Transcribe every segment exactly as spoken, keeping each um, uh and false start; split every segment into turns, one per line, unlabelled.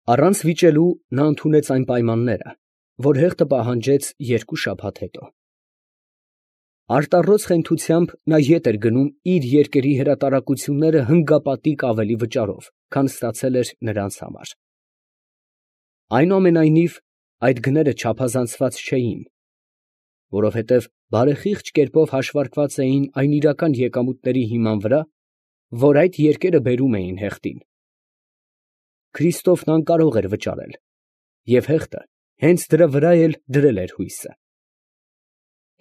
Առանց վիճելու նա ընդունեց այն պայմանները, որ հեղտը պահանջեց երկու շաբաթ հետո։ Արտառոց խենթությամբ նա ետ էր գնում իր երկերի հրատարակությունները հնգապատիկ ավելի վճարով, քան ստացել էր նրանց համար։ Այնուամենայնիվ, այդ գները չափազանցված չէին, որովհետև բարեխիղճ կերպով հաշվարկված էին այն իրական եկամուտների հիման վրա, որ այդ երկերը բերում էին հեղտին։ Քրիստոֆն անկարող էր վճարել, և հեղտը հենց դրա վրա էլ դրել էր հույսը։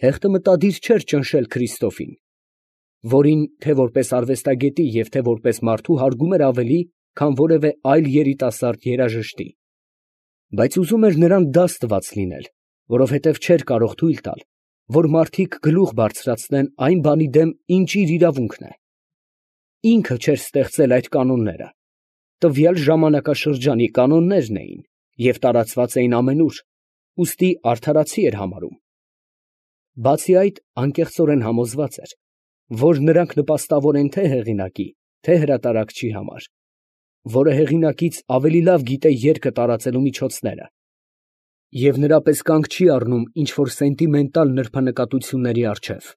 Հեղտը մտադիր չէր ճնշել Քրիստոֆին, որին թե՛ որպես արվեստագետի և թե՛ որպես մարդու հարգում էր ավելի, քան որևէ այլ երիտասարդ երաժշտի, բայց ուզում էր նրան դաս տված լինել, որովհետև չէր կարող թույլ տալ, որ մարդիկ գլուխ բարձրացնեն այն բանի դեմ, ինչ իր իրավունքն է։ Ինքը չէր ստեղծել այդ կանոնները, տվյալ ժամանակաշրջանի կանոններն էին և տարածված էին ամենուր, ուստի արդարացի էր համարում։ Բացի այդ, անկեղծորեն համոզված էր, որ նրանք նպաստավոր են թե հեղինակի, թե հրատարակչի համար, որը հեղինակից ավելի լավ գիտե երգը տարածելու միջոցները և նրա պես կանգ չի առնում ինչ֊որ սենտիմենտալ նրբանկատությունների առջև,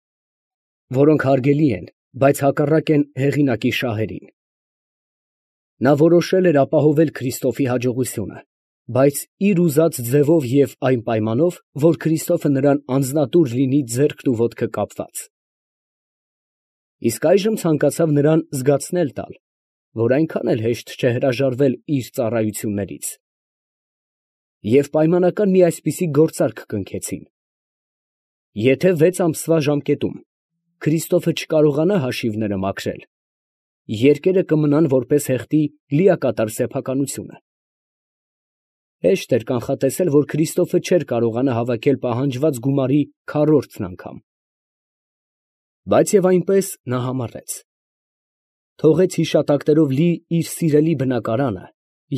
որոնք հարգելի են, բայց հակառակ են հեղինակի շահերին։ Նա որոշել էր ապահովել Քրիստոֆի հաջողությունը, բայց իր ուզած ձևով և այն պայմանով, որ Քրիստոֆը նրան անձնատուր լինի ձեռքն ու ոտքը կապված։ Իսկ այժմ ցանկացավ նրան զգացնել տալ, որ այնքան էլ հեշտ չէ հրաժարվել իր ծառայություններից, և պայմանական մի այսպիսի գործարք կնքեցին. եթե վեց ամսվա ժամկետում Քրիստոֆը չկարողանա հաշիվները մաքրել, երկերը կմնան որպես հեղտի լիակատար սեփականությունը։ Հեշտ էր կանխատեսել, որ Քրիստոֆը չէր կարողանա հավաքել պահանջված գումարի քառորդն անգամ։ Բայց և այնպես նա համառեց, թողեց հիշատակներով լի իր սիրելի բնակարանը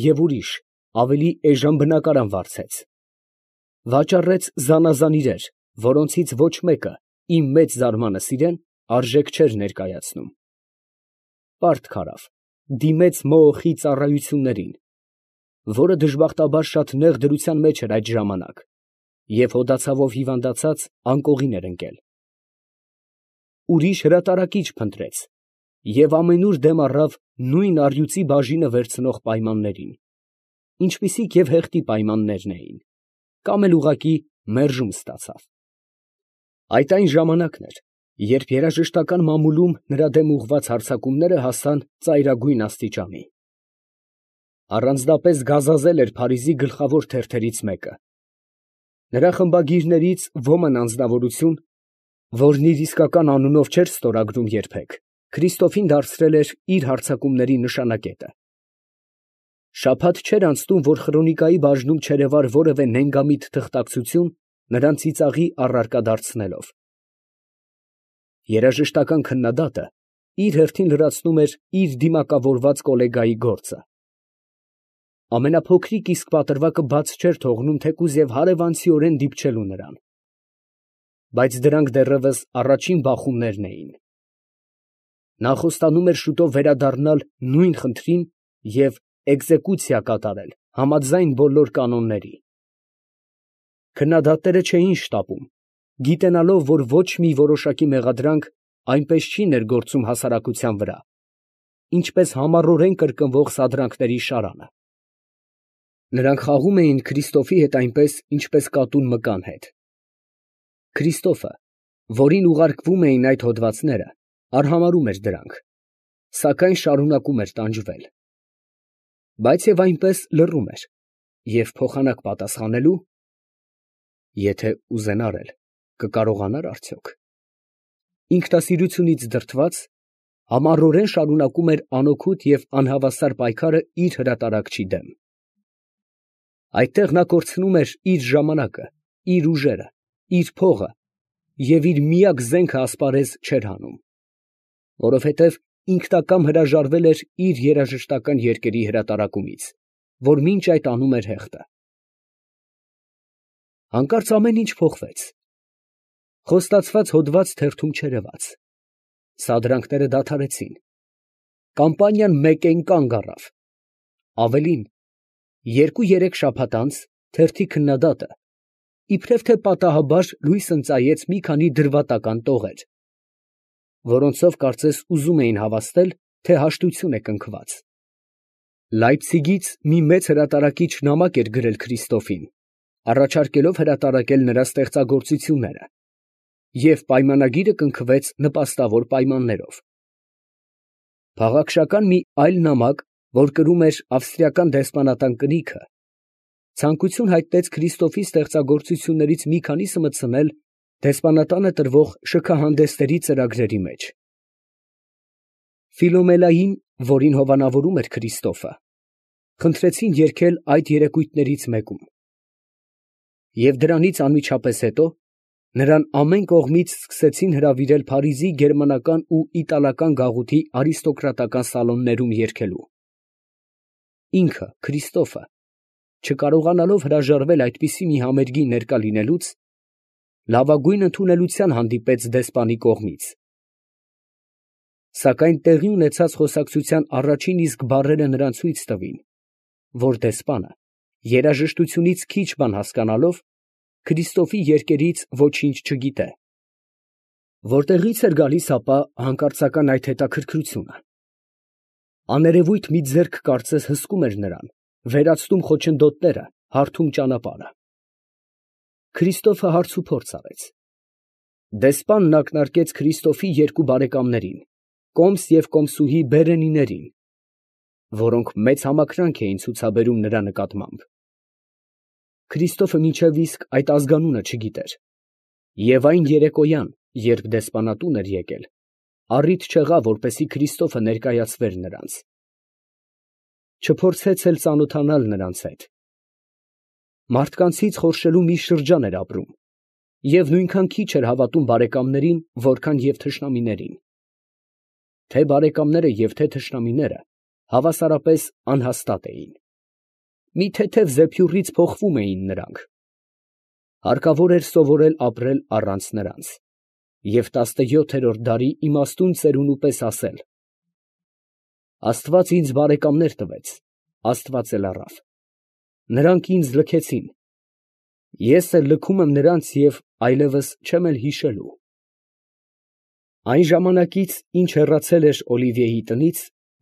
և ուրիշ, ավելի էժան բնակարան վարձեց, վաճառեց զանազան իրեր, որոնցից ոչ մեկը, իմ մեծ զարմանս իրեն, արժեք չէր ներկայացնում, պարտք արավ, դիմեց Մոոխի ծառայություններին, որը դժբախտաբար շատ նեղ դրության մեջ էր այդ ժամանակ, և հոդացավով հիվանդացած անկողին էր ընկել։ Ուրիշ հրատարակիչ փնտրեց և ամենուր դեմ առավ նույն առյուծի բաժինը վերցնող պայմաններին, ինչպիսիք և հեղտի պայմաններն էին, կամ էլ ուղղակի մերժում ստացավ։ Այդ այն ժամանակն էր, երբ երաժշտական մամուլում նրա դեմ ուղղված հարձակումները հասան ծայրագույն աստիճանի։ Առանձնապես գազազել էր Փարիզի գլխավոր թերթերից մեկը։ Նրա խմբագիրներից ոմն անձնավորություն, որն իր իսկական անունով չէր ստորագրում երբեք, Քրիստոֆին դարձրել էր իր հարձակումների նշանակետը։ Շաբաթ չէր անցնում, որ Խրոնիկայի բաժնում չերևար որևէ նենգամիտ թղթակցություն նրան ծիծաղի առարկա դարձնելով։ Երաժշտական քննադատը իր հերթին լրացնում էր իր դիմակավորված կոլեգայի գործը։ Ամենափոքրիկ իսկ պատրվակը բաց չէր թողնում թեկուզ և հարևանցիորեն դիպչելու նրան։ Բայց դրանք դեռևս առաջին բախումներն էին։ Նա խոստանում էր շուտով վերադառնալ նույն խնդրին և էկզեկուցիա կատարել համաձայն բոլոր կանոնների։ Քննադատները չէին շտապում, գիտենալով, որ ոչ մի որոշակի մեղադրանք այնպես չի ներգործում հասարակության վրա, ինչպես համառորեն կրկնվող սադրանքների շարանը։ Նրանք խաղում էին Քրիստոֆի հետ այնպես, ինչպես կատուն մկան հետ։ Քրիստոֆը, որին ուղարկվում էին այդ հոդվածները, արհամարհում էր դրանք, սակայն շարունակում էր տանջվել։ Բայց և այնպես լռում էր, և փոխանակ պատասխանելու «Եթե ուզենար էլ, կկարողանա՞ր արդյոք» ինքնասիրությունից դրդված, համառորեն շարունակում էր անօգուտ և անհավասար պայքարը իր հրատարակչի դեմ։ Այդտեղ նա կորցնում էր իր ժամանակը, իր ուժերը, իր փողը և իր միակ զենքը ասպարեզ չէր հանում, որովհետև ինքնակամ հրաժարվել էր իր երաժշտական երկերի հրատարակումից, որ մինչ այդ անում էր հեղտը։ Հանկարծ ամեն ինչ փոխվեց։ Խոստացված հոդված թերթում չերևաց, սադրանքները դադարեցին, կամպանիան մեկեն կանգ առավ, ավելին, Երկու֊երեք շաբաթ անց թերթի քննադատը իբրև թե պատահաբար լույս ընծայեց մի քանի դրվատական տողեր, որոնցով կարծես ուզում էին հավաստել, թե հաշտություն է կնքված։ Լայպցիգից մի մեծ հրատարակիչ նամակ էր գրել Քրիստոֆին, առաջարկելով հրատարակել նրա ստեղծագործությունները, և պայմանագիրը կնքվեց նպաստավոր պայմաններով։ Փաղաքշական մի այլ նամակ, որ կրում էր ավստրիական դեսպանատան կնիքը, ցանկություն հայտնեց Քրիստոֆի ստեղծագործություններից մի քանիսը մտցնել դեսպանատանը տրվող շքահանդեսների ծրագրերի մեջ։ Ֆիլոմելային, որին հովանավորում էր Քրիստոֆը, խնդրեցին երգել այդ երեկույթներից մեկում, և դրանից անմիջապես հետո նրան ամեն կողմից սկսեցին հրավիրել Փարիզի գերմանական ու իտալական գաղութի արիստոկրատական սալոններում երգելու։ Ինքը, Քրիստոֆը, չկարողանալով հրաժարվել այդպիսի մի համերգի ներկա լինելուց, լավագույն ընդունելության հանդիպեց դեսպանի կողմից։ Սակայն տեղի ունեցած խոսակցության առաջին իսկ բառերը նրան ցույց տվին, որ դեսպանը, երաժշտությունից քիչ բան հասկանալով, Քրիստոֆի երգերից ոչինչ չգիտե։ Որտեղի՞ց էր գալիս ապա հանկարծական այդ հետաքրքրությունը։ Աներևույթ մի ձեռք կարծես հսկում էր նրան, վերացնում խոչընդոտները, հարթում ճանապարհը։ Քրիստոֆը հարցուփորձ արեց։ Դեսպանն ակնարկեց Քրիստոֆի երկու բարեկամներին, կոմս և կոմսուհի Բերենիներին, որոնք մեծ համակրանք էին ցուցաբերում նրա նկատմամբ։ Քրիստոֆը մինչև իսկ այդ ազգանունը չգիտեր, և այն երեկոյան, երբ դեսպանատուն էր եկել, առիթ չեղավ, որպեսզի Քրիստոֆը ներկայացվեր նրանց։ Չփորձեց էլ ծանոթանալ նրանց հետ։ Մարդկանցից խորշելու մի շրջան էր ապրում, և նույնքան քիչ էր հավատում բարեկամներին, որքան և թշնամիներին։ Թե բարեկամները և թե թշնամիները հավասարապես անհաստատ էին։ Մի թեթև զեփյուռից փոխվում էին նրանք։ Հարկավոր էր սովորել ապրել առանց նրանց և տասնյոթերորդ դարի իմաստուն ծերունու պես ասել. «Աստված ինձ բարեկամներ տվեց, Աստված էլ առավ. նրանք ինձ լքեցին, ես էլ լքում եմ նրանց և այլևս չեմ էլ հիշելու»։ Այն ժամանակից, ինչ հեռացել էր Օլիվիեի տնից,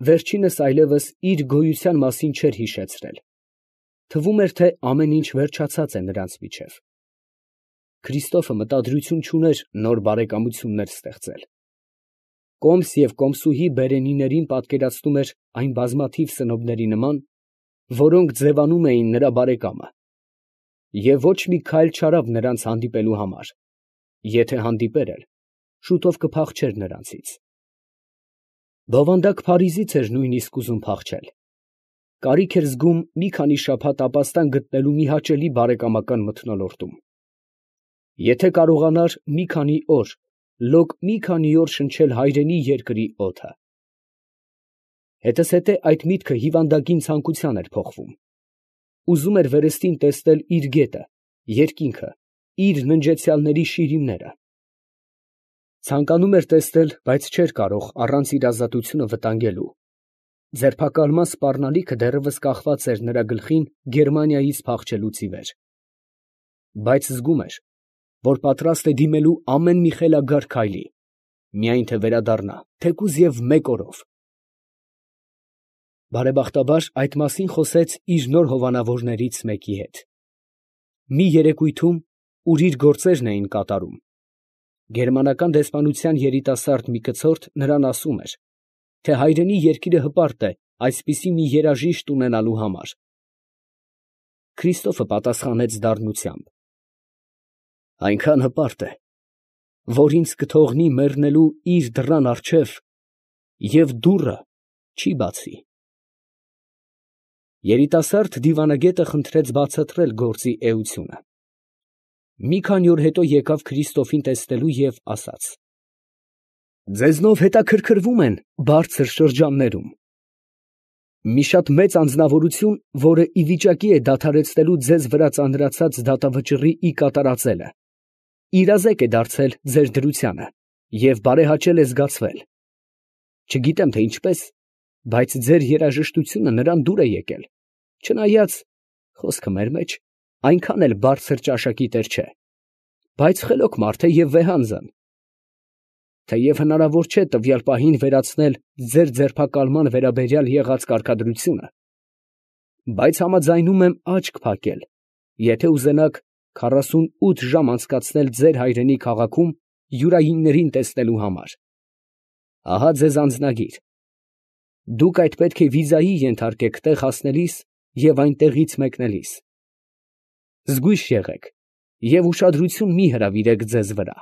վերջինս այլևս իր գոյության մասին չէր հիշեցրել, թվում էր, թե ամեն ինչ վերջացած է նրանց միջև։ Քրիստոֆը մտադրություն չուներ նոր բարեկամություններ ստեղծել։ Կոմս և կոմսուհի Բերենիներին պատկերացնում էր այն բազմաթիվ սնոբների նման, որոնք ձևանում էին նրա բարեկամը, և ոչ մի քայլ չարավ նրանց հանդիպելու համար, եթե հանդիպեր էլ, շուտով կփախչեր նրանցից։ Բովանդակ Փարիզից էր նույնիսկ ուզում փախչել, կարիք էր զգում մի քանի շաբաթ ապաստան գտնելու մի հաճելի բարեկամական մթնոլորտում։ Եթե կարողանար մի քանի օր, լոկ մի քանի օր շնչել հայրենի երկրի օդը։ Հետզհետե այդ միտքը հիվանդագին ցանկության էր փոխվում։ Ուզում էր վերստին տեսնել իր գետը, երկինքը, իր ննջեցյալների շիրիմները։ Ցանկանում էր տեսնել, բայց չէր կարող առանց իր ազատությունը վտանգելու։ Ձերբակալման սպառնալիքը դեռևս կախված էր նրա գլխին Գերմանիայից փախչելուց ի վեր։ Բայց զգում էր, որ պատրաստ է դիմելու ամեն մի խելագար քայլի, միայն թե վերադառնա, թեկուզ և մեկ օրով։ Բարեբախտաբար այդ մասին խոսեց իր նոր հովանավորներից մեկի հետ։ Մի երեկույթում, ուր իր գործերն էին կատարում, գերմանական դեսպանության երիտասարդ մի կցորդ նրան ասում էր, թե հայրենի երկիրը հպարտ է այսպիսի մի երաժիշտ ունենալու համար։ Քրիստոֆը պատասխանեց դառնությամբ. «Այնքան հպարտ է, որ ինձ կթողնի մեռնելու իր դռան առջև և դուռը չի բացի»։ Երիտասարդ դիվանագետը խնդրեց բացատրել գործի էությունը։ Մի քանի օր հետո եկավ Քրիստոֆին տեսնելու և ասաց. «Ձեզնով հետաքրքրվում են բարձր շրջաններում։ Մի շատ մեծ անձնավորություն, որը ի վիճակի է դադարեցնելու ձեզ վրա ծանրացած դատավճռի ի կատարածելը, իրազեկ է դարձել ձեր դրությանը և բարեհաճել է զգացվել։ Չգիտեմ, թե ինչպես, բայց ձեր երաժշտությունը նրան դուր է եկել, չնայած խոսքը մեր մեջ այնքան էլ բարձր ճաշակի տեր չէ, բայց խելոք մարդ է և վեհանձն։ Թեև հնարավոր չէ տվյալ պահին վերացնել ձեր ձերբակալման վերաբերյալ եղած կարգադրությունը, բայց համաձայնում եմ աչք փակել, եթե ուզենաք քառասունութ ժամ անցկացնել ձեր հայրենի քաղաքում յուրայիններին տեսնելու համար։ Ահա ձեզ անձնագիր. դուք այդ պետք է վիզայի ենթարկեք տեղ հասնելիս և այնտեղից մեկնելիս։ Զգույշ եղեք և ուշադրություն մի հրավիրեք ձեզ վրա։